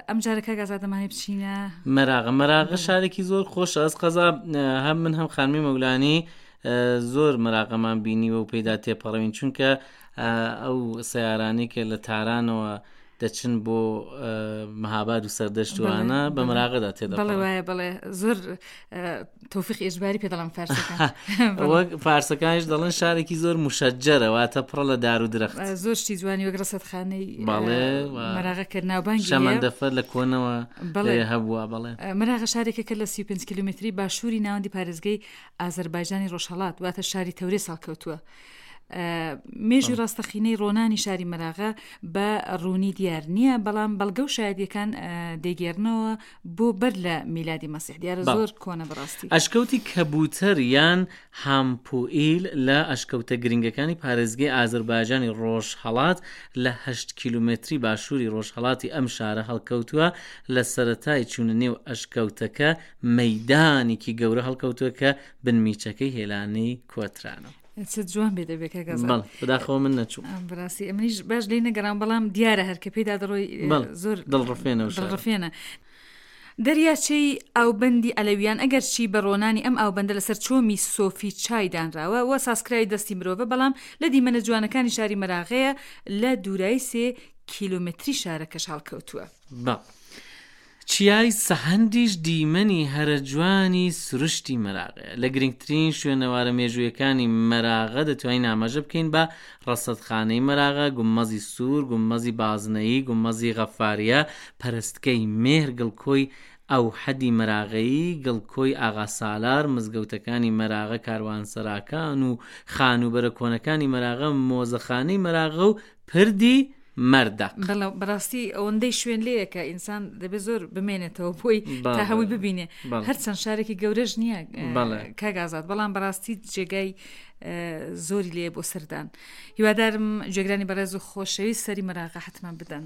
ئەم جارە کاک ئازاد دەمانێ بچینە مەراغە مەراغە شارێکی زۆر خۆشە ئەس قەزا هەم من هەم خانمی مەولانی زۆر مەراغەمان بینیوە و پێدا تێپەڕوین چونکە ئەو سیارانی کە لە تارانەوە دەچن بۆ مەهاباد و سەردەشتوانە بە مراغەدا تێدەڵێ وایە بڵێ زۆر تۆفیق ئێجباری پێ دەڵم فارسەکان وەک فارسەکانیش دەڵێن شارێکی زۆر مشەجەرە واتە پڕە لە دار و درەخت زۆر شتی جوانی وەک ڕەسەدخانەی بەڵێ مەراغە کە ناوبانگی شەمەندەفەر لە کۆنەوە بەڵێ هەبووە بەڵێ مەراغە شارێکە کە لە 35 کیلومتری باشووری ناوەندی پارێزگەی ئازەربایجانی ڕۆژهەڵات واتە شاری تەورێز هەڵکەوتووە. مێژوی ڕاستەقینەی ڕۆنانی شاری مەراغە بە ڕوونی دیار نییە بەڵام بەڵگە و شایدیەکان دەگێرنەوە بۆ بەر لە میلادی مەسیح دیارە زۆر کۆنە بەڕاستی. ئەشکەوتی کەبووتەر یان هامپوئیل لە ئەشکەوتە گرنگەکانی پارێزگەی ئازەربایجانی ڕۆژهەڵات لە هەشت کیلۆمەتری باشووری ڕۆژهەڵاتی ئەم شارە هەڵکەوتووە، لە سەرەتای چوونە نێو ئەشکەوتەکە مەیدانێکی گەورە هەڵکەوتووە کە بنمیچەکەی هێلانەی کۆترانە. چ جوان بێ دەبێ کاک ئازاد. بەڵێ بەداخەوە من نەچووم. بەڕاستی ئەمنیش باش لێی نەگەڕام بەڵام دیارە هەر کە پێیدا دەڕۆی زۆر دڵڕفێنە و دڵڕفێنە. دەریاچەی ئاوبەندی عەلەویان ئەگەرچی بە ڕۆنانی ئەم ئاوبەندە لەسەر چۆمی سۆفی چای دانراوە و سازکراوی دەستی مرۆڤە بەڵام لە دیمەنە جوانەکانی شاری مەراغەیە لە دوورایی سێ کیلۆمەتری شارەکەش هەڵکەوتووە. بەڵێ. چیای سەهەندیش دیمەنی هەرە جوانی سروشتی مەراغەیە. لە گرنگترین شوێنەوارە مێژوویەکانی مەراغە دەتوانین ئاماژە بکەین بە ڕەسەدخانەی مەراغە، گوممەزی سوور، گوممەزی بازنەیی، گوممەزی غەفاریە، پەرستگەی مێهر، گڵکۆی ئەوحەدی مەراغەیی، گڵکۆی ئاغا سالار، مزگەوتەکانی مەراغە، کاروانسەراکان و خانووبەرە کۆنەکانی مەراغە، مۆزەخانەی مەراغە و پردی مەردەق. بەڵێ بەڕاستی ئەوەندەی شوێن لێیە کە ئینسان دەبێت زۆر بمێنێتەوە بۆی تا هەمووی ببینێ هەرچەند شارێکی گەورەش نییە کاک ئازاد بەڵام بەڕاستی جێگای زۆری لێ بۆ سەردان هیوادارم جێگرانی بەڕێز و خۆشەویست سەری مەراغە حتمما بدەن.